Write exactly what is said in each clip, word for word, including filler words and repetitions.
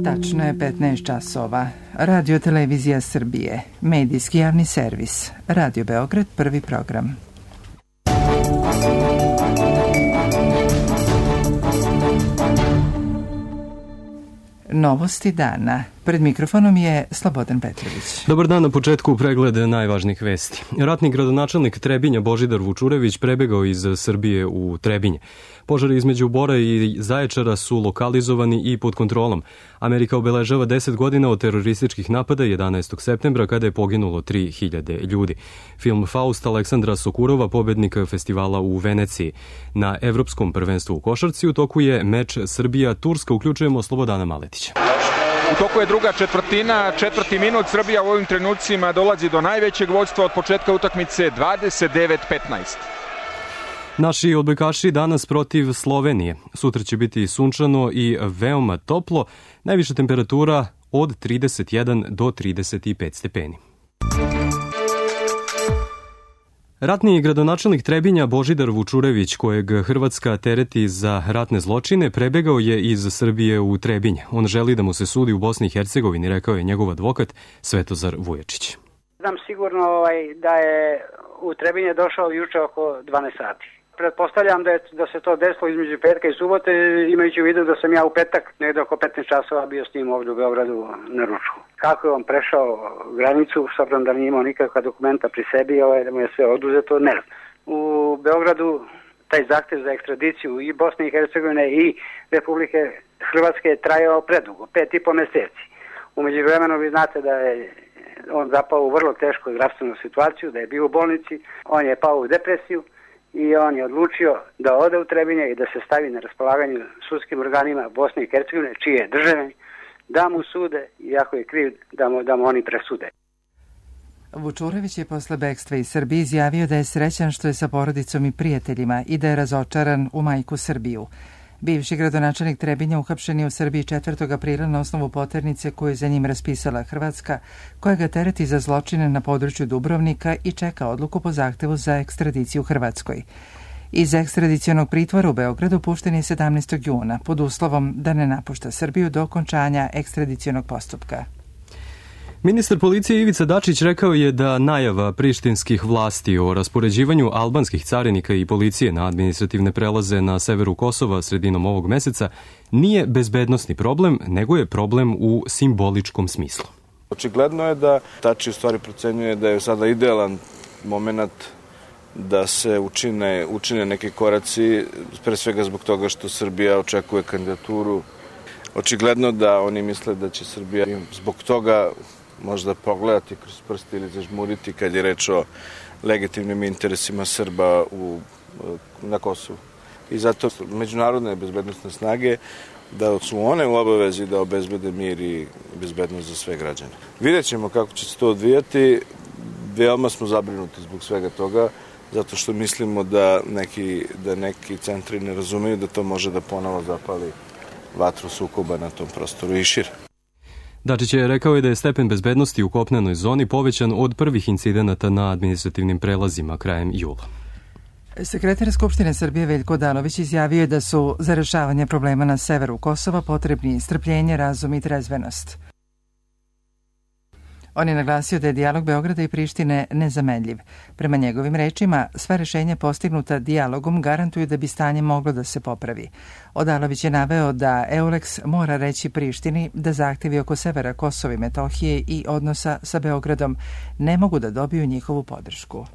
Tačno je petnaest časova. Radio Televizija Srbije, medijski javni servis. Radio Beograd, prvi program. Novosti dana. Pred mikrofonom je Slobodan Petrović. Dobar dan, na početku pregled najvažnijih vesti. Ratni gradonačelnik Trebinja Božidar Vučurević prebegao iz Srbije u Trebinje. Požari između Bora i Zaječara su lokalizovani i pod kontrolom. Amerika obeležava deset godina od terorističkih napada jedanaestog septembra kada je poginulo tri hiljade ljudi. Film Faust Aleksandra Sokurova, pobednik festivala u Veneciji. Na Evropskom prvenstvu u košarci u toku je meč Srbija-Turska. Uključujemo Slobodana Maletića. U toku je druga četvrtina, četvrti minut. Srbija u ovim trenucima dolazi do najvećeg vođstva od početka utakmice, dvadeset devet petnaest. Naši odbojkaši danas protiv Slovenije. Sutra će biti sunčano i veoma toplo, najviša temperatura od trideset jedan do trideset pet stepeni. Ratni gradonačelnik Trebinja Božidar Vučurević, kojeg Hrvatska tereti za ratne zločine, prebegao je iz Srbije u Trebinje. On želi da mu se sudi u Bosni i Hercegovini, rekao je njegov advokat Svetozar Vujačić. Znam sigurno ovaj, da je u Trebinje došao juče oko dvanaest sati. Pretpostavljam da, je, da se to desilo između petka i subote, imajući u vidu da sam ja u petak negdje oko petnaest časova bio s njim ovdje u Beogradu na ručku. Kako je on prešao granicu, s obzirom da nije imao nikakva dokumenta pri sebi, ovaj, da mu je sve oduzeto, ne znam. U Beogradu taj zahtjev za ekstradiciju i Bosne i Hercegovine i Republike Hrvatske je trajao predugo, pet i po meseci. U međuvremenu vi znate da je on zapao u vrlo tešku zdravstvenu situaciju, da je bio u bolnici, on je pao u depresiju i on je odlučio da ode u Trebinje i da se stavi na raspolaganju sudskim organima Bosne i Hercegovine, čije je države, da mu sude, iako je kriv, da mu, da mu oni presude. Vučurević je posle bekstva iz Srbije izjavio da je srećan što je sa porodicom i prijateljima i da je razočaran u majku Srbiju. Bivši gradonačelnik Trebinja uhapšen je u Srbiji četvrtog aprila na osnovu poternice koju je za njim raspisala Hrvatska, koja ga tereti za zločine na području Dubrovnika i čeka odluku po zahtevu za ekstradiciju Hrvatskoj. Iz ekstradicionog pritvora u Beogradu pušten je sedamnaestog juna pod uslovom da ne napušta Srbiju do okončanja ekstradicionog postupka. Ministar policije Ivica Dačić rekao je da najava prištinskih vlasti o raspoređivanju albanskih carinika i policije na administrativne prelaze na severu Kosova sredinom ovog meseca nije bezbednosni problem, nego je problem u simboličkom smislu. Očigledno je da Dačić u stvari procenjuje da je sada idealan moment da se učine, učine neki koraci, pre svega zbog toga što Srbija očekuje kandidaturu. Očigledno da oni misle da će Srbija zbog toga možda pogledati kroz prsti ili zažmuriti kad je reč o legitimnim interesima Srba u, na Kosovu. I zato međunarodne bezbednostne snage da su one u obavezi da obezbede mir i bezbednost za sve građane. Vidjet ćemo kako će se to odvijati. Veoma smo zabrinuti zbog svega toga, zato što mislimo da neki, da neki centri ne razumeju da to može da ponovo zapali vatru sukoba na tom prostoru i šire. Dačić je rekao da je stepen bezbednosti u kopnenoj zoni povećan od prvih incidenata na administrativnim prelazima krajem jula. Sekretar Skupštine Srbije Veljko Odalović izjavio je da su za rešavanje problema na severu Kosova potrebni strpljenje, razum i trezvenost. On je naglasio da je dijalog Beograda i Prištine nezamenljiv. Prema njegovim rečima, sva rešenja postignuta dijalogom garantuju da bi stanje moglo da se popravi. Odalović je naveo da Euleks mora reći Prištini da zahtevi oko severa Kosova i Metohije i odnosa sa Beogradom ne mogu da dobiju njihovu podršku.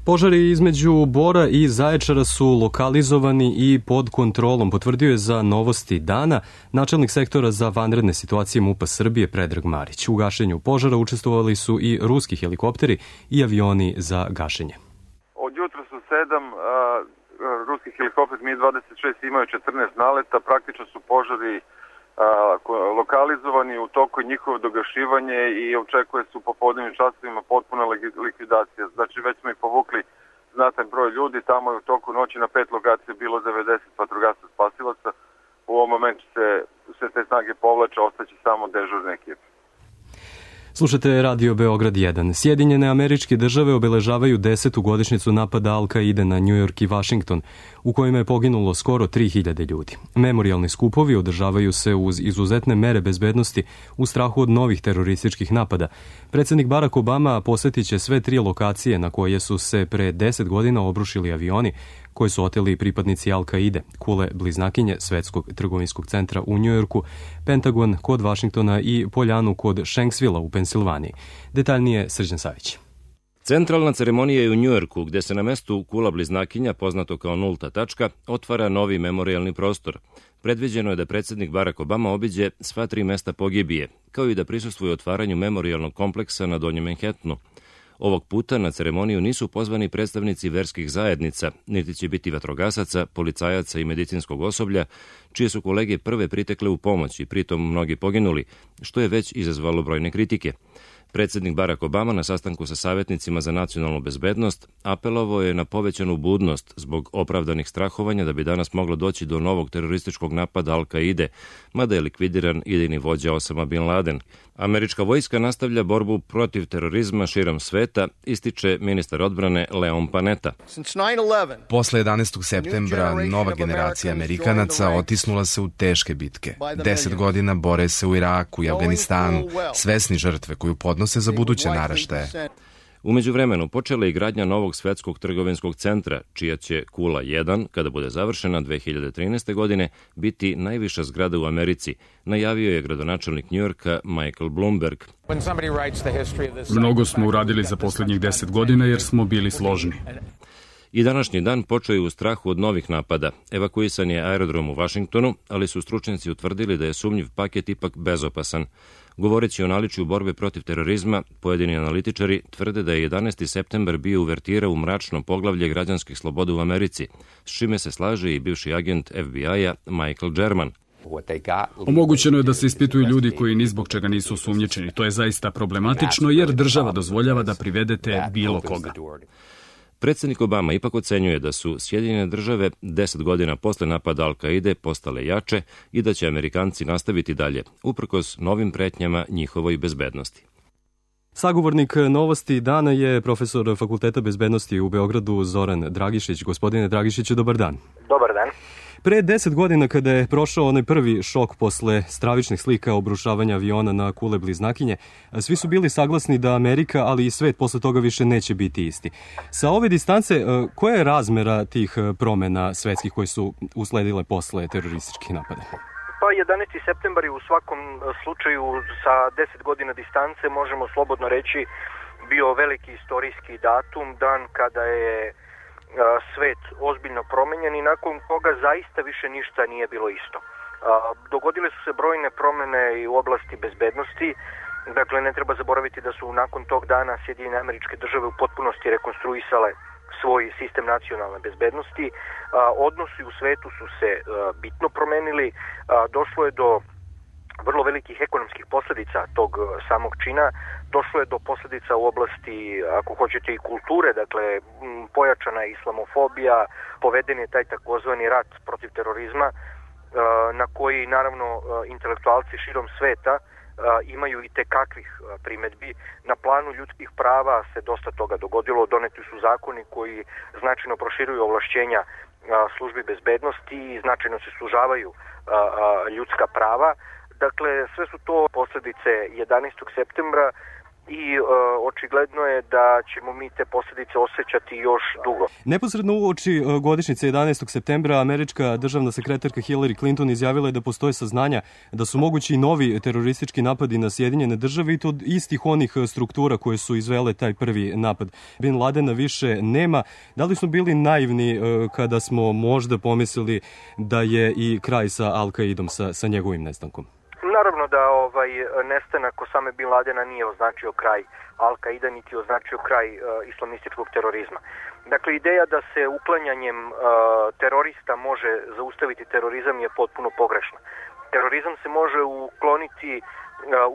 Požari između Bora i Zaječara su lokalizovani i pod kontrolom, potvrdio je za Novosti dana načelnik sektora za vanredne situacije MUP-a Srbije Predrag Marić. U gašenju požara učestvovali su i ruski helikopteri i avioni za gašenje. Od jutra su sedam, a, ruski helikopter Mi dvadeset šest imaju četrnaest naleta, praktično su požari a, lokalizovani, u toku njihovo dogašivanje i očekuje se u popodnevnim časovima potpuna likvidacija. Znači već smo ih povukli znatan broj ljudi, tamo je u toku noći na pet lokacija bilo devedeset vatrogasaca spasilaca. U ovom momentu se sve te snage povlače, ostaće samo dežurne ekipe. Slušate Radio Beograd jedan. Sjedinjene Američke Države obeležavaju desetu godišnjicu napada Al-Kaide na New York i Washington, u kojima je poginulo skoro tri hiljade ljudi. Memorijalni skupovi održavaju se uz izuzetne mere bezbednosti u strahu od novih terorističkih napada. Predsednik Barack Obama posetit će sve tri lokacije na koje su se pre deset godina obrušili avioni koje su oteli pripadnici Al-Kaide, kule bliznakinje Svetskog trgovinskog centra u Njujorku, Pentagon kod Vašingtona i Poljanu kod Shanksvilla u Pensilvaniji. Detaljnije Srđan Savić. Centralna ceremonija je u Njujorku, gde se na mestu kula bliznakinja, poznato kao nulta tačka, otvara novi memorijalni prostor. Predviđeno je da predsednik Barack Obama obiđe sva tri mesta pogibije, kao i da prisustvuje otvaranju memorijalnog kompleksa na Donjem Manhattanu. Ovog puta na ceremoniju nisu pozvani predstavnici verskih zajednica, niti će biti vatrogasaca, policajaca i medicinskog osoblja, čije su kolege prve pritekle u pomoć i pritom mnogi poginuli, što je već izazvalo brojne kritike. Predsednik Barack Obama na sastanku sa savjetnicima za nacionalnu bezbednost apelovao je na povećanu budnost zbog opravdanih strahovanja da bi danas moglo doći do novog terorističkog napada Al-Kaide, mada je likvidiran idejni vođa Osama Bin Laden. Američka vojska nastavlja borbu protiv terorizma širom sveta, ističe ministar odbrane Leon Panetta. Posle jedanaestog septembra nova generacija Amerikanaca otisnula se u teške bitke. Deset godina bore se u Iraku i Afganistanu, svesni žrtve koju podnose za buduće naraštaje. U međuvremenu počela je gradnja novog Svetskog trgovinskog centra, čija će kula jedan, kada bude završena dve hiljade trinaeste. godine, biti najviša zgrada u Americi, najavio je gradonačelnik Njujorka Michael Bloomberg. Mnogo smo uradili za poslednjih deset godina jer smo bili složni. I današnji dan počeo je u strahu od novih napada. Evakuisan je aerodrom u Vašingtonu, ali su stručnjaci utvrdili da je sumnjiv paket ipak bezopasan. Govoreći o naličju borbe protiv terorizma, pojedini analitičari tvrde da je jedanaesti septembar bio uvertira u mračno poglavlje građanskih sloboda u Americi, s čime se slaže i bivši agent F B I-a Michael German. Omogućeno je da se ispituju ljudi koji ni zbog čega nisu osumnjičeni. To je zaista problematično jer država dozvoljava da privedete bilo koga. Predsednik Obama ipak ocenjuje da su Sjedinjene države deset godina posle napada Al-Kaide postale jače i da će Amerikanci nastaviti dalje, uprkos novim pretnjama njihovoj bezbednosti. Sagovornik Novosti dana je profesor Fakulteta bezbednosti u Beogradu Zoran Dragišić. Gospodine Dragišiću, dobar dan. Dobar dan. Pre deset godina kada je prošao onaj prvi šok posle stravičnih slika obrušavanja aviona na kule bliznakinje, svi su bili saglasni da Amerika, ali i svet posle toga više neće biti isti. Sa ove distance, koja je razmera tih promena svetskih koje su usledile posle terorističkih napada? Pa jedanaesti septembar je u svakom slučaju sa deset godina distance, možemo slobodno reći, bio veliki istorijski datum, dan kada je svet ozbiljno promenjen i nakon toga zaista više ništa nije bilo isto. Dogodile su se brojne promene i u oblasti bezbednosti. Dakle, ne treba zaboraviti da su nakon tog dana Sjedinjene Američke Države u potpunosti rekonstruisale svoj sistem nacionalne bezbednosti. Odnosi u svetu su se bitno promenili. Došlo je do vrlo velikih ekonomskih posledica tog samog čina. Došlo je do posledica u oblasti, ako hoćete, i kulture, dakle, pojačana je islamofobija, poveden je taj takozvani rat protiv terorizma, na koji, naravno, intelektualci širom sveta imaju i tekakvih primedbi. Na planu ljudskih prava se dosta toga dogodilo, doneti su zakoni koji značajno proširuju ovlašćenja službi bezbednosti i značajno se sužavaju ljudska prava. Dakle, sve su to posledice jedanaestog septembra i e, očigledno je da ćemo mi te posljedice osjećati još dugo. Neposredno uoči godišnjice jedanaestog septembra američka državna sekretarka Hillary Clinton izjavila je da postoje saznanja da su mogući novi teroristički napadi na Sjedinjene države i to od istih onih struktura koje su izvele taj prvi napad. Bin Ladena više nema. Da li smo bili naivni kada smo možda pomislili da je i kraj sa Al-Kaidom, sa, sa njegovim nestankom? Naravno da ovaj nestanak Osame Bin Ladena nije označio kraj Al-Kaida, niti označio kraj uh, islamističkog terorizma. Dakle, ideja da se uklanjanjem uh, terorista može zaustaviti terorizam je potpuno pogrešna. Terorizam se može ukloniti uh,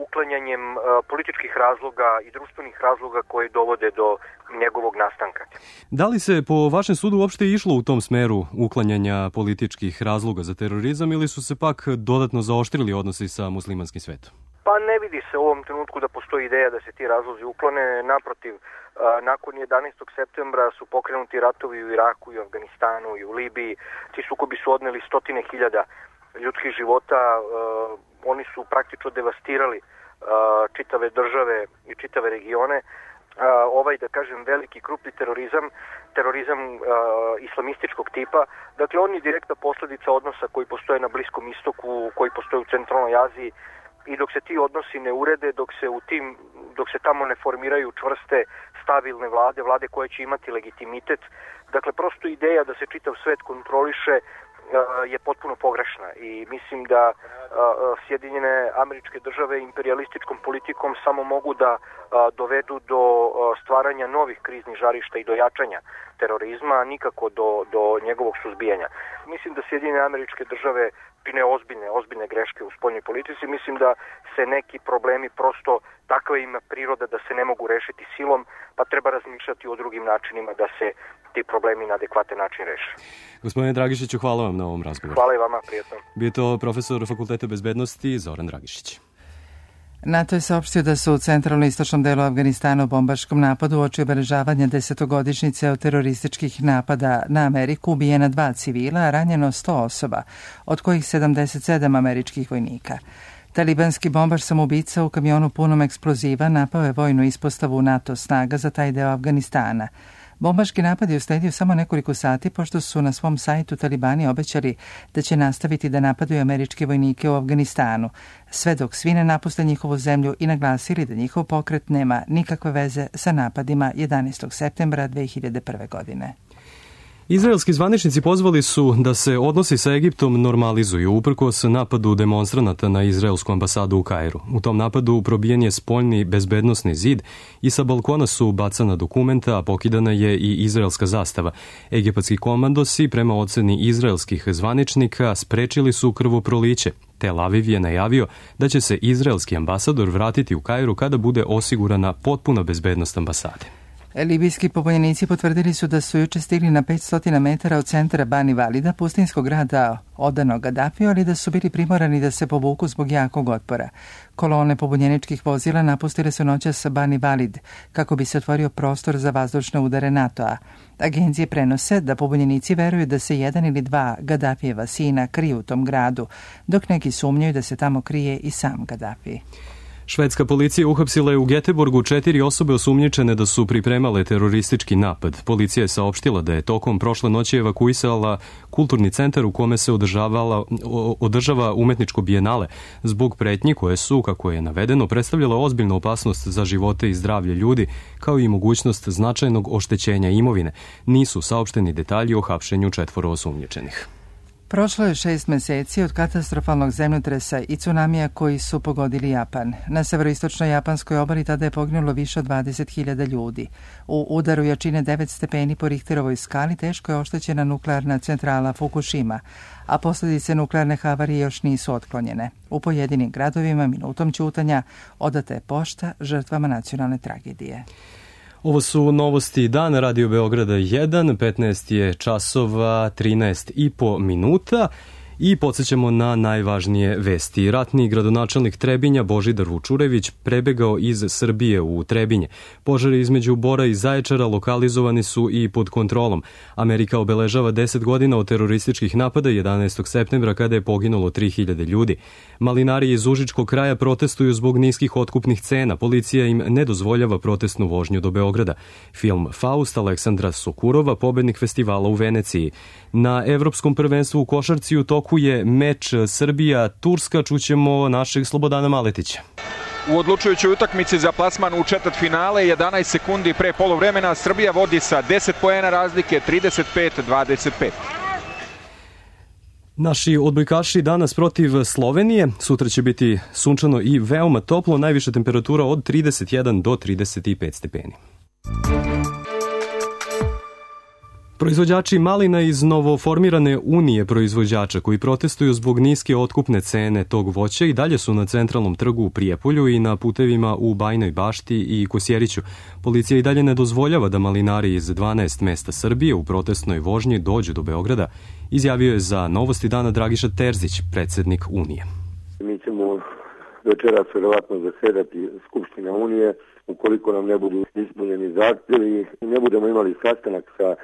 uklanjanjem uh, političkih razloga i društvenih razloga koji dovode do njegovog nastanka. Da li se po vašem sudu uopšte išlo u tom smeru uklanjanja političkih razloga za terorizam ili su se pak dodatno zaoštrili odnosi sa muslimanskim svetom? Pa ne vidi se u ovom trenutku da postoji ideja da se ti razlozi uklone. Naprotiv, nakon jedanaestog septembra su pokrenuti ratovi u Iraku i u Afganistanu i u Libiji. Ti sukobi su odneli stotine hiljada ljudskih života. Oni su praktično devastirali čitave države i čitave regione. Ovaj, da kažem, veliki krupni terorizam, terorizam uh, islamističkog tipa, dakle on je direktna posljedica odnosa koji postoje na Bliskom istoku, koji postoje u centralnoj Aziji, i dok se ti odnosi ne urede, dok se u tim, dok se tamo ne formiraju čvrste, stabilne vlade, vlade koje će imati legitimitet, dakle prosto ideja da se čitav svet kontroliše je potpuno pogrešna i mislim da Sjedinjene Američke Države imperialističkom politikom samo mogu da dovedu do stvaranja novih kriznih žarišta i do jačanja terorizma, a nikako do, do njegovog suzbijanja. Mislim da Sjedinjene Američke Države čine ozbiljne, ozbiljne greške u spoljnoj politici. Mislim da se neki problemi prosto takva ima priroda da se ne mogu rešiti silom, pa treba razmišljati o drugim načinima da se ti problemi na adekvatan način reše. Gospodine Dragišiću, hvala vam na ovom razgovoru. Hvala i vama, prijetno. Bio je to profesor Fakulteta bezbednosti Zoran Dragišić. NATO je saopštio da su u centralno-istočnom delu Afganistana u bombaškom napadu uoči obeležavanja desetogodišnjice od terorističkih napada na Ameriku ubijena dva civila, a ranjeno sto osoba, od kojih sedamdeset sedam američkih vojnika. Talibanski bombaš samoubica u kamionu punom eksploziva napao je vojnu ispostavu NATO snaga za taj deo Afganistana. Bombaški napad je usledio samo nekoliko sati pošto su na svom sajtu Talibani obećali da će nastaviti da napadaju američke vojnike u Afganistanu, sve dok svi ne napuste njihovu zemlju i naglasili da njihov pokret nema nikakve veze sa napadima jedanaestog septembra dve hiljade prve. godine. Izraelski zvaničnici pozvali su da se odnosi sa Egiptom normalizuju uprkos napadu demonstranata na izraelsku ambasadu u Kairu. U tom napadu probijen je spoljni bezbednosni zid i sa balkona su bacana dokumenta, a pokidana je i izraelska zastava. Egipatski komandosi, prema oceni izraelskih zvaničnika, sprečili su krvoproliće. Tel Aviv je najavio da će se izraelski ambasador vratiti u Kairu kada bude osigurana potpuna bezbednost ambasade. Libijski pobunjenici potvrdili su da su juče stigli na petsto metara od centra Bani Valida, pustinskog grada odanog Gadafiju, ali da su bili primorani da se povuku zbog jakog otpora. Kolone pobunjeničkih vozila napustile su noćas Bani Valid kako bi se otvorio prostor za vazdušne udare NATO-a. Agencije prenose da pobunjenici veruju da se jedan ili dva Gadafijeva sina kriju u tom gradu, dok neki sumnjaju da se tamo krije i sam Gadafi. Švedska policija uhapsila je u Geteborgu četiri osobe osumnjičene da su pripremale teroristički napad. Policija je saopštila da je tokom prošle noći evakuisala kulturni centar u kome se održavala, održava umetničko bijenale zbog pretnji koje su, kako je navedeno, predstavljala ozbiljnu opasnost za živote i zdravlje ljudi, kao i mogućnost značajnog oštećenja imovine. Nisu saopšteni detalji o hapšenju četvoro osumnjičenih. Prošlo je šest meseci od katastrofalnog zemljotresa i tsunamija koji su pogodili Japan. Na severoistočnoj japanskoj obali tada je poginulo više od dvadeset hiljada ljudi. U udaru jačine devet stepeni po Richterovoj skali teško je oštećena nuklearna centrala Fukushima, a posljedice nuklearne havarije još nisu otklonjene. U pojedinim gradovima minutom ćutanja odata je pošta žrtvama nacionalne tragedije. Ovo su novosti dana Radio Beograda jedan, petnaest je časova, trinaest i po minuta i podsjećamo na najvažnije vesti. Ratni gradonačelnik Trebinja Božidar Vučurević prebegao iz Srbije u Trebinje. Požari između Bora i Zaječara lokalizovani su i pod kontrolom. Amerika obeležava deset godina od terorističkih napada jedanaestog septembra kada je poginulo tri hiljade ljudi. Malinari iz Užičkog kraja protestuju zbog niskih otkupnih cena. Policija im ne dozvoljava protestnu vožnju do Beograda. Film Faust Aleksandra Sokurova, pobednik festivala u Veneciji. Na Evropskom prvenstvu u košarci u toku je meč Srbija-Turska, čućemo našeg Slobodana Maletića. U odlučujućoj utakmici za plasman u četvrtfinale, jedanaest sekundi pre poluvremena, Srbija vodi sa deset poena razlike, trideset pet dvadeset pet. Naši odbojkaši danas protiv Slovenije, sutra će biti sunčano i veoma toplo, najviša temperatura od trideset jedan do trideset pet stepeni. Proizvođači malina iz novoformirane Unije proizvođača koji protestuju zbog niske otkupne cene tog voća i dalje su na centralnom trgu u Prijepolju i na putevima u Bajnoj Bašti i Kosjeriću. Policija i dalje ne dozvoljava da malinari iz dvanaest mesta Srbije u protestnoj vožnji dođu do Beograda, izjavio je za Novosti dana Dragiša Terzić, predsednik Unije. Mi ćemo večeras vjerovatno zasedati Skupština Unije. Ukoliko nam ne budu ispunjeni zahtjevi i ne budemo imali sastanak sa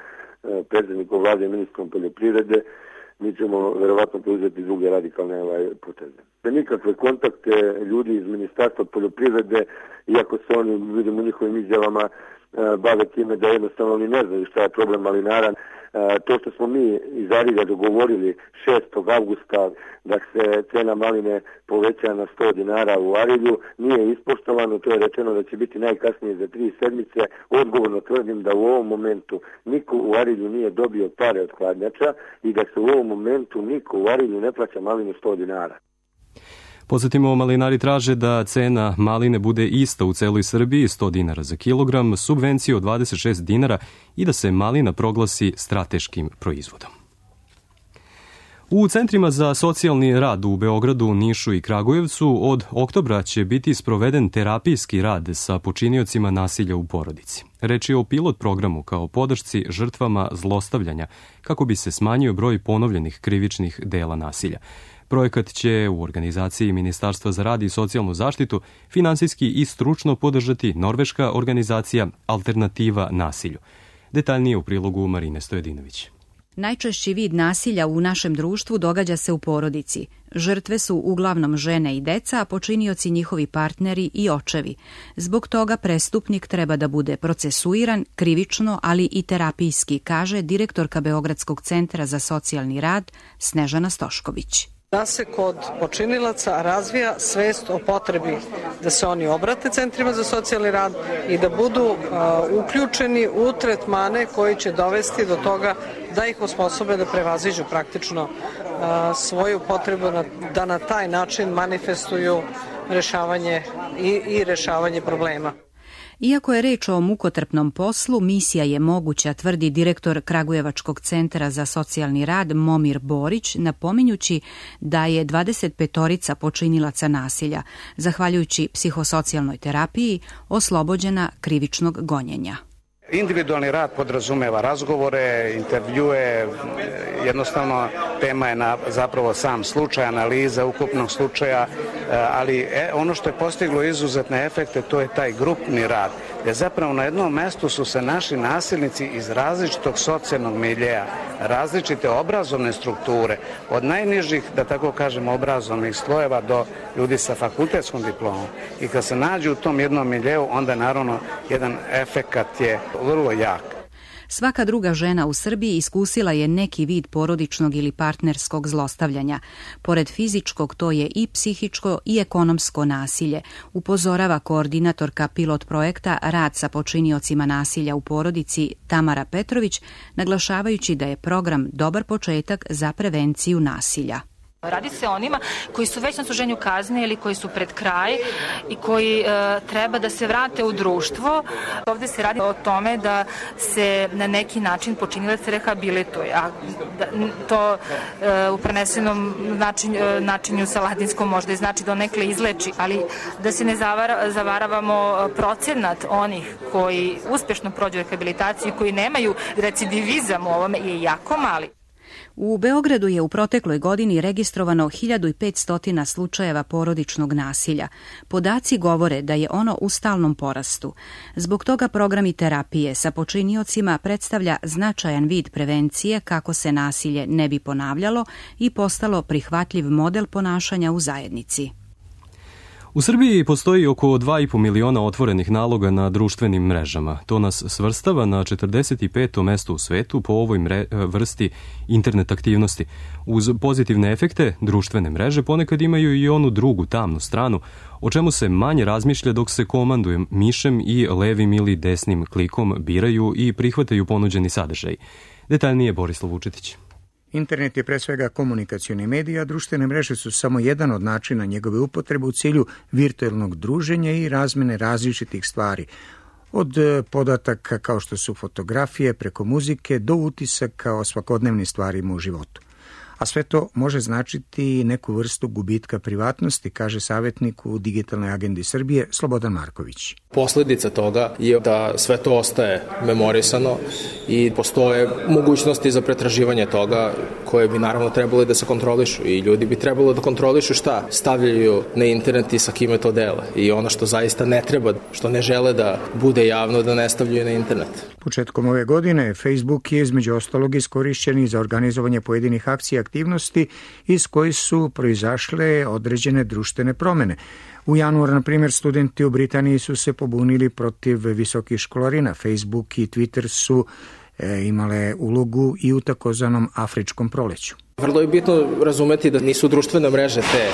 predsjednikom vlade i ministrom poljoprivrede, mi ćemo vjerovatno preuzeti druge radikalne ovaj, poteze. Nikakve kontakte ljudi iz Ministarstva poljoprivrede, iako se oni, vidimo u njihovim izjavama, bave time da jednostavno oni ne znaju šta je problem malinara. To što smo mi iz Arilja dogovorili šestog avgusta da se cena maline poveća na sto dinara u Arilju nije ispoštovano, to je rečeno da će biti najkasnije za tri sedmice. Odgovorno tvrdim da u ovom momentu niko u Arilju nije dobio pare od hladnjača i da se u ovom momentu niko u Arilju ne plaća malinu sto dinara. Podsjetimo, malinari traže da cena maline bude ista u celoj Srbiji, sto dinara za kilogram, subvenciju od dvadeset šest dinara i da se malina proglasi strateškim proizvodom. U centrima za socijalni rad u Beogradu, Nišu i Kragujevcu od oktobra će biti sproveden terapijski rad sa počiniocima nasilja u porodici. Reč je o pilot programu kao podršci žrtvama zlostavljanja kako bi se smanjio broj ponovljenih krivičnih dela nasilja. Projekat će u organizaciji Ministarstva za rad i socijalnu zaštitu finansijski i stručno podržati norveška organizacija Alternativa nasilju. Detaljnije u prilogu Marine Stojedinović. Najčešći vid nasilja u našem društvu događa se u porodici. Žrtve su uglavnom žene i deca, a počinioci njihovi partneri i očevi. Zbog toga prestupnik treba da bude procesuiran krivično, ali i terapijski, kaže direktorka Beogradskog centra za socijalni rad Snežana Stošković. Da se kod počinilaca razvija svest o potrebi da se oni obrate centrima za socijalni rad i da budu uh, uključeni u tretmane koji će dovesti do toga da ih osposobe da prevaziđu praktično uh, svoju potrebu na, da na taj način manifestuju rešavanje i, i rešavanje problema. Iako je reč o mukotrpnom poslu, misija je moguća, tvrdi direktor Kragujevačkog centra za socijalni rad Momir Borić, napominjući da je dvadeset petorica počinilaca nasilja, zahvaljujući psihosocijalnoj terapiji, oslobođena krivičnog gonjenja. Individualni rad podrazumeva razgovore, intervjue, jednostavno tema je na, zapravo sam slučaj, analiza ukupnog slučaja, ali ono što je postiglo izuzetne efekte, to je taj grupni rad, gdje zapravo na jednom mestu su se naši nasilnici iz različitog socijalnog miljeja, različite obrazovne strukture, od najnižih, da tako kažem, obrazovnih slojeva do ljudi sa fakultetskom diplomom. I kad se nađu u tom jednom miljeu, onda naravno jedan efekat je vrlo jak. Svaka druga žena u Srbiji iskusila je neki vid porodičnog ili partnerskog zlostavljanja. Pored fizičkog, to je i psihičko i ekonomsko nasilje, upozorava koordinatorka pilot projekta Rad sa počiniocima nasilja u porodici Tamara Petrović, naglašavajući da je program dobar početak za prevenciju nasilja. Radi se o onima koji su već na odsluženju kazne ili koji su pred kraj i koji e, treba da se vrate u društvo. Ovde se radi o tome da se na neki način počinilac rehabilituje, a da, to e, u prenesenom način, e, načinju sa latinskom možda i znači da nekle izleči, ali da se ne zavara, zavaravamo procenat onih koji uspešno prođu rehabilitaciju i koji nemaju recidivizam u ovome je jako mali. U Beogradu je u protekloj godini registrovano hiljadu petsto slučajeva porodičnog nasilja. Podaci govore da je ono u stalnom porastu. Zbog toga programi terapije sa počiniocima predstavlja značajan vid prevencije kako se nasilje ne bi ponavljalo i postalo prihvatljiv model ponašanja u zajednici. U Srbiji postoji oko dva i po miliona otvorenih naloga na društvenim mrežama. To nas svrstava na četrdeset peto mesto u svetu po ovoj mre, vrsti internet aktivnosti. Uz pozitivne efekte, društvene mreže ponekad imaju i onu drugu tamnu stranu, o čemu se manje razmišlja dok se komanduje mišem i levim ili desnim klikom biraju i prihvataju ponuđeni sadržaj. Detaljnije Borislav Vučetić. Internet je pre svega komunikacioni medij, a društvene mreže su samo jedan od načina njegove upotrebe u cilju virtualnog druženja i razmene različitih stvari, od podataka kao što su fotografije preko muzike do utisaka o svakodnevnim stvarima u životu. a sve to može značiti neku vrstu gubitka privatnosti, kaže savjetnik u Digitalnoj agendi Srbije Slobodan Marković. Posledica toga je da sve to ostaje memorisano i postoje mogućnosti za pretraživanje toga koje bi naravno trebalo da se kontrolišu i ljudi bi trebalo da kontrolišu šta stavljaju na internet i sa kime to dele i ono što zaista ne treba, što ne žele da bude javno, da ne stavljaju na internet. Početkom ove godine Facebook je između ostalog iskorišćen za organizovanje pojedinih akcija i aktivnosti iz kojih su proizašle određene društvene promene. U januaru, na primjer, studenti u Britaniji su se pobunili protiv visokih školarina. Facebook i Twitter su e, imale ulogu i u takozvanom afričkom proleću. Vrlo je bitno razumeti da nisu društvene mreže te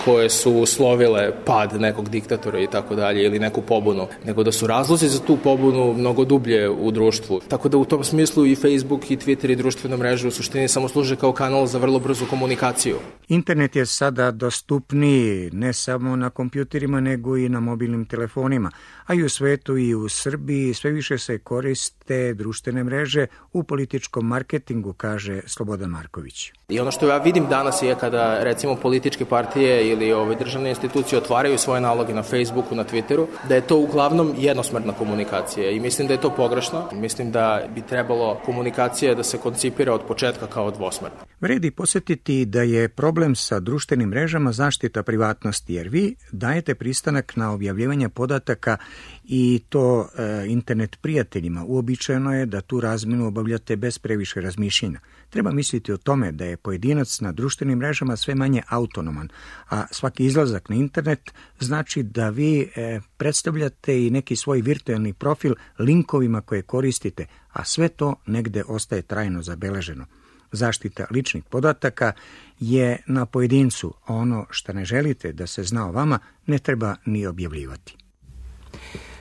koje su uslovile pad nekog diktatora i tako dalje ili neku pobunu, nego da su razlozi za tu pobunu mnogo dublje u društvu. Tako da u tom smislu i Facebook i Twitter i društvene mreže u suštini samo služe kao kanal za vrlo brzu komunikaciju. Internet je sada dostupniji ne samo na kompjuterima nego i na mobilnim telefonima, a i u svetu i u Srbiji sve više se koriste društvene mreže u političkom marketingu, kaže Slobodan Marković. I ono što ja vidim danas je kada recimo političke partije ili ove državne institucije otvaraju svoje naloge na Facebooku, na Twitteru, da je to uglavnom jednosmerna komunikacija i mislim da je to pogrešno. Mislim da bi trebalo komunikacija da se koncipira od početka kao dvosmerna. Vredi posjetiti da je problem sa društvenim mrežama zaštita privatnosti, jer vi dajete pristanak na objavljivanje podataka i to e, internet prijateljima. Uobičajeno je da tu razmenu obavljate bez previše razmišljenja. Treba misliti o tome da je pojedinac na društvenim mrežama sve manje autonoman, a svaki izlazak na internet znači da vi e, predstavljate i neki svoj virtualni profil linkovima koje koristite, a sve to negde ostaje trajno zabeleženo. Zaštita ličnih podataka je na pojedincu, a ono što ne želite da se zna o vama ne treba ni objavljivati.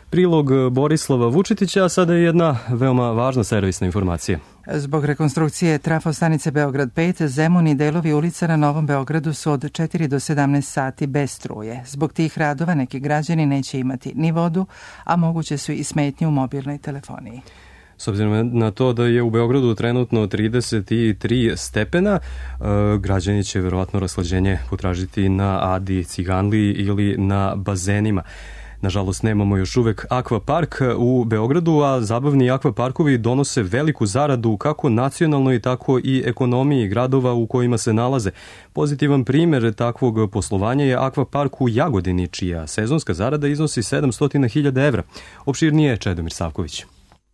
Prilog Borislava Vučetića, a sada je jedna veoma važna servisna informacija. Zbog rekonstrukcije trafostanice Beograd pet, Zemun i delovi ulica na Novom Beogradu su od četiri do sedamnaest sati bez struje. Zbog tih radova neki građani neće imati ni vodu, a moguće su i smetnje u mobilnoj telefoniji. S obzirom na to da je u Beogradu trenutno trideset tri stepena, građani će verovatno raslađenje potražiti na Adi Ciganliji ili na bazenima. Nažalost, nemamo još uvek akvapark u Beogradu, a zabavni akvaparkovi donose veliku zaradu kako nacionalnoj, tako i ekonomiji gradova u kojima se nalaze. Pozitivan primer takvog poslovanja je akvapark u Jagodini, čija sezonska zarada iznosi sedamsto hiljada evra. Opširnije Čedomir Savković.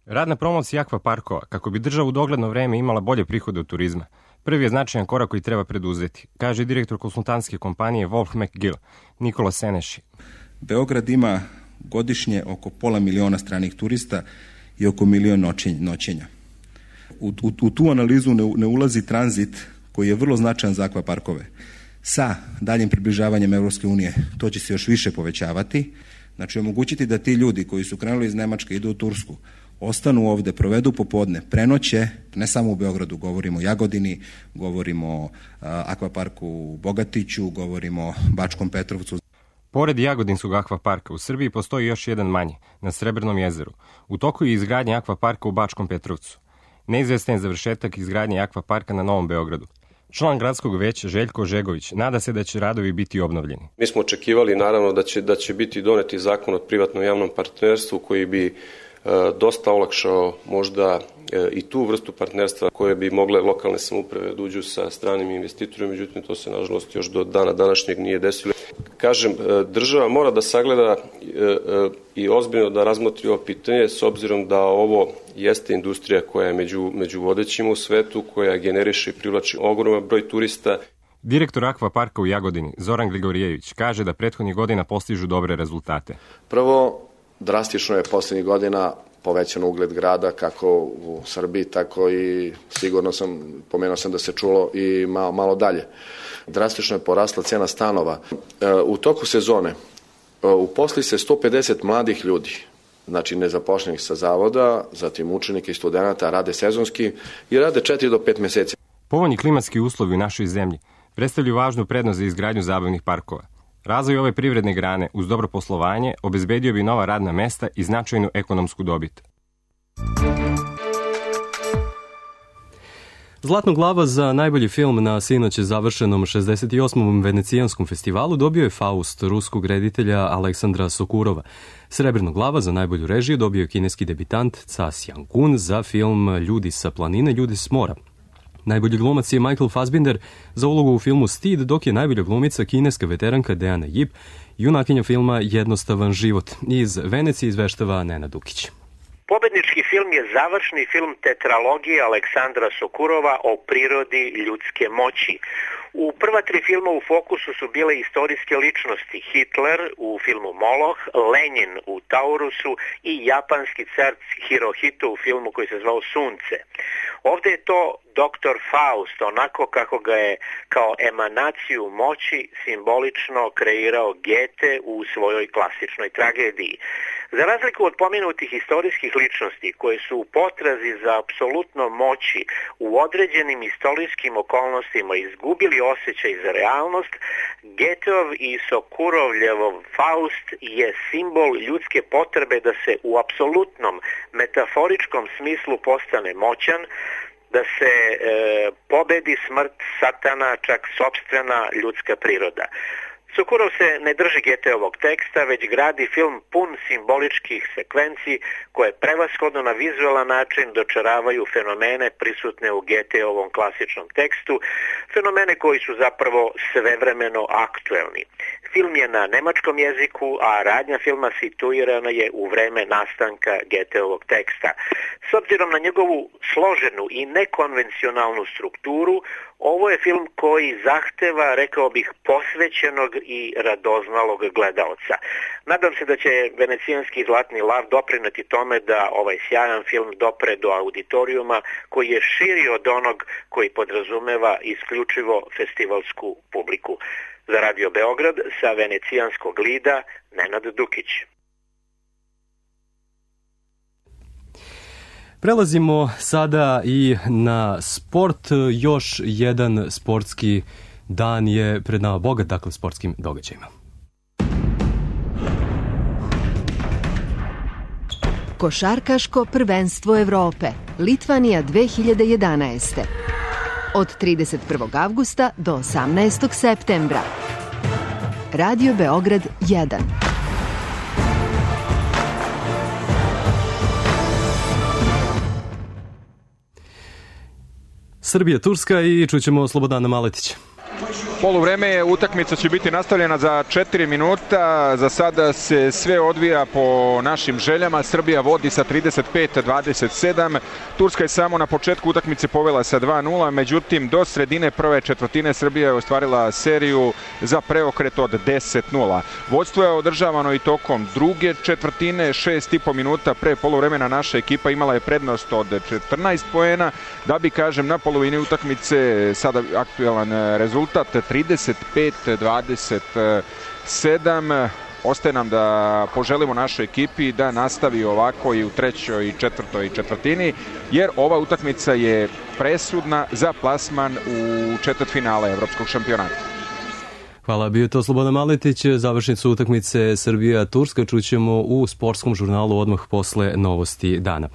Rad na promociji akvaparkova, kako bi država u dogledno vreme imala bolje prihode od turizma, prvi je značajan korak koji treba preduzeti, kaže direktor konsultantske kompanije Wolf McGill, Nikola Seneši. Beograd ima godišnje oko pola miliona stranih turista i oko milion noćenja. U, u, u tu analizu ne, ne ulazi tranzit koji je vrlo značajan za akvaparkove. Sa daljim približavanjem Evropske unije to će se još više povećavati. Znači omogućiti da ti ljudi koji su krenuli iz Nemačke idu u Tursku, ostanu ovde, provedu popodne, prenoće, ne samo u Beogradu, govorimo o Jagodini, govorimo o akvaparku u Bogatiću, govorimo o Bačkom Petrovcu. Pored Jagodinskog akvaparka u Srbiji postoji još jedan manji, na Srebrnom jezeru. U toku je izgradnja akvaparka u Bačkom Petrovcu. Neizvestan je završetak izgradnje akvaparka na Novom Beogradu. Član gradskog veća Željko Žegović nada se da će radovi biti obnovljeni. Mi smo očekivali naravno da će, da će biti doneti zakon o privatnom javnom partnerstvu koji bi e, dosta olakšao možda e, i tu vrstu partnerstva koje bi mogle lokalne samouprave da uđu sa stranim investitorima, međutim to se nažalost još do dana današnjeg nije desilo. Kažem, država mora da sagleda i ozbiljno da razmotri ovo pitanje s obzirom da ovo jeste industrija koja je među, među vodećima u svetu, koja generiše i privlači ogroman broj turista. Direktor akvaparka u Jagodini, Zoran Grigorijević, kaže da prethodnih godina postižu dobre rezultate. Prvo, drastično je poslednjih godina povećan ugled grada kako u Srbiji, tako i sigurno sam, pomenuo sam da se čulo i malo, malo dalje. Drastično je porasla cena stanova. U toku sezone uposli se sto pedeset mladih ljudi, znači nezapošljenih sa zavoda, zatim učenika i studenta, rade sezonski i rade četiri do pet meseci. Povoljni klimatski uslovi u našoj zemlji predstavljaju važnu prednost za izgradnju zabavnih parkova. Razvoj ove privredne grane uz dobro poslovanje obezbedio bi nova radna mesta i značajnu ekonomsku dobit. Zlatnu glava za najbolji film na sinoć završenom šezdeset osmom Venecijanskom festivalu dobio je Faust ruskog reditelja Aleksandra Sokurova. Srebrnu glava za najbolju režiju dobio je kineski debitant Ca Siang-kun za film Ljudi sa planine, ljudi s mora. Najbolji glumac je Michael Fassbinder za ulogu u filmu Stid, dok je najbolja glumica kineska veteranka Deana Yip, junakinja filma Jednostavan život. Iz Venecije izveštava Nenad Dukić. Pobednički film je završni film tetralogije Aleksandra Sokurova o prirodi ljudske moći. U prva tri filma u fokusu su bile istorijske ličnosti: Hitler u filmu Moloch, Lenin u Taurusu i japanski car Hirohito u filmu koji se zvao Sunce. Ovdje je to doktor Faust, onako kako ga je kao emanaciju moći simbolično kreirao Goethe u svojoj klasičnoj tragediji. Za razliku od pomenutih istorijskih ličnosti koje su u potrazi za apsolutno moći u određenim istorijskim okolnostima izgubili osjećaj za realnost, Goetheov i Sokurovljevov Faust je simbol ljudske potrebe da se u apsolutnom metaforičkom smislu postane moćan, da se e, pobedi smrt, satana, čak sopstvena ljudska priroda. Sokurov se ne drži Goetheovog teksta, već gradi film pun simboličkih sekvenci koje prevashodno na vizualan način dočaravaju fenomene prisutne u Goetheovom klasičnom tekstu, fenomene koji su zapravo svevremeno aktuelni. Film je na nemačkom jeziku, a radnja filma situirana je u vreme nastanka Goetheovog teksta. S obzirom na njegovu složenu i nekonvencionalnu strukturu, ovo je film koji zahteva, rekao bih, posvećenog i radoznalog gledaoca. Nadam se da će Venecijanski zlatni lav doprineti tome da ovaj sjajan film dopre do auditorijuma koji je širi od onog koji podrazumeva isključivo festivalsku publiku. Za Radio Beograd sa Venecijanskog lida Nenad Dukić. Prelazimo sada i na sport. Još jedan sportski dan je pred nama, bogat dakle sportskim događajima. Košarkaško prvenstvo Evrope, Litvanija dve hiljade jedanaeste. Od trideset prvog avgusta do osamnaestog septembra. Radio Beograd jedan. Srbija, Turska i čućemo Slobodana Maletića. Poluvreme utakmica će biti nastavljena za četiri minuta. Za sada se sve odvija po našim željama. Srbija vodi sa trideset pet dvadeset sedam. Turska je samo na početku utakmice povela sa dva nula. Međutim, do sredine prve četvrtine Srbija je ostvarila seriju za preokret od deset nula. Vodstvo je održavano i tokom druge četvrtine. Šest i po minuta pre poluvremena naša ekipa imala je prednost od četrnaest poena. Da bi, kažem, na polovini utakmice sada aktuelan rezultat trideset pet dvadeset sedam. Ostaje nam da poželimo našoj ekipi da nastavi ovako i u trećoj i četvrtoj četvrtini, jer ova utakmica je presudna za plasman u četvrtfinale evropskog šampionata. Hvala, bio je to Slobodan Maletić. Završnicu utakmice Srbija-Turska čućemo u sportskom žurnalu odmah posle novosti dana.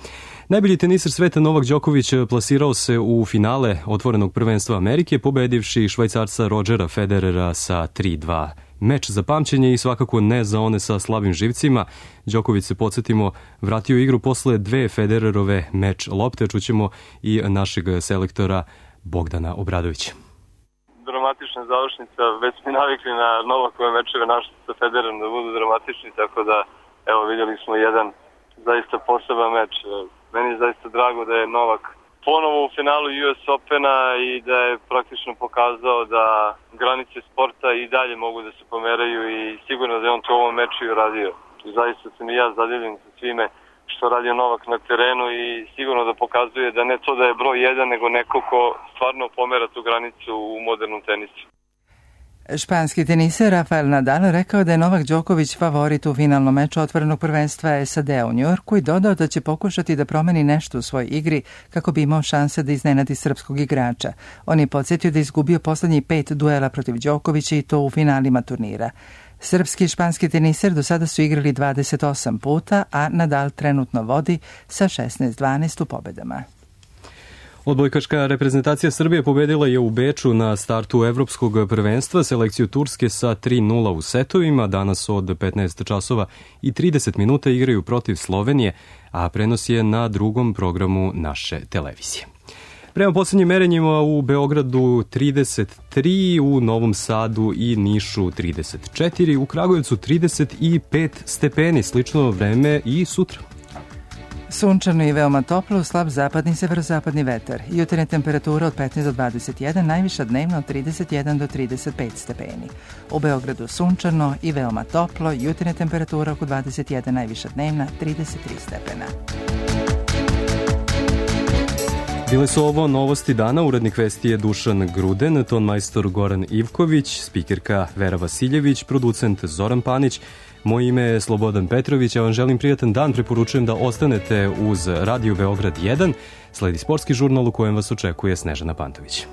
Najbolji teniser sveta Novak Đoković plasirao se u finale otvorenog prvenstva Amerike, pobedivši Švajcarca Rodgera Federera sa tri dva. Meč za pamćenje i svakako ne za one sa slabim živcima. Đoković, se podsjetimo, vratio igru posle dve Federerove meč lopte. Čućemo i našeg selektora Bogdana Obradovića. Dramatična završnica, već smo navikli na Novakove mečeve naše sa Federerom da budu dramatični, tako da evo vidjeli smo jedan zaista poseban meč. Meni je zaista drago da je Novak ponovo u finalu U S Opena i da je praktično pokazao da granice sporta i dalje mogu da se pomeraju i sigurno da je on to u ovom meču i uradio. Zaista sam i ja zadivljen sa svime što radio Novak na terenu i sigurno da pokazuje da ne to da je broj jedan, nego neko ko stvarno pomera tu granicu u modernom tenisu. Španski teniser Rafael Nadal rekao da je Novak Đoković favorit u finalnom meču otvorenog prvenstva S A D u Njujorku i dodao da će pokušati da promeni nešto u svojoj igri kako bi imao šanse da iznenadi srpskog igrača. On je podsjetio da je izgubio poslednjih pet duela protiv Đokovića i to u finalima turnira. Srpski i španski teniser do sada su igrali dvadeset osam puta, a Nadal trenutno vodi sa šesnaest dvanaest u pobedama. Odbojkaška reprezentacija Srbije pobedila je u Beču na startu evropskog prvenstva selekciju Turske sa tri nula u setovima. Danas od petnaest časova i trideset minuta igraju protiv Slovenije, a prenos je na drugom programu naše televizije. Prema poslednjim merenjima u Beogradu trideset tri, u Novom Sadu i Nišu trideset četiri, u Kragujevcu trideset pet stepeni, slično vreme i sutra. Sunčano i veoma toplo, slab zapadni severozapadni vetar. Jutarnja temperatura od petnaest do dvadeset jedan, najviša dnevno od trideset jedan do trideset pet stepeni. U Beogradu sunčano i veoma toplo, jutarnja temperatura oko dvadeset jedan, najviša dnevna trideset tri stepena. Bile su ovo novosti dana, urednik vesti je Dušan Gruden, tonmajstor Goran Ivković, spikerka Vera Vasiljević, producent Zoran Panić. Moje ime je Slobodan Petrović, ja vam želim prijatan dan, preporučujem da ostanete uz Radio Beograd jedan, sledi sportski žurnal u kojem vas očekuje Snežana Pantović.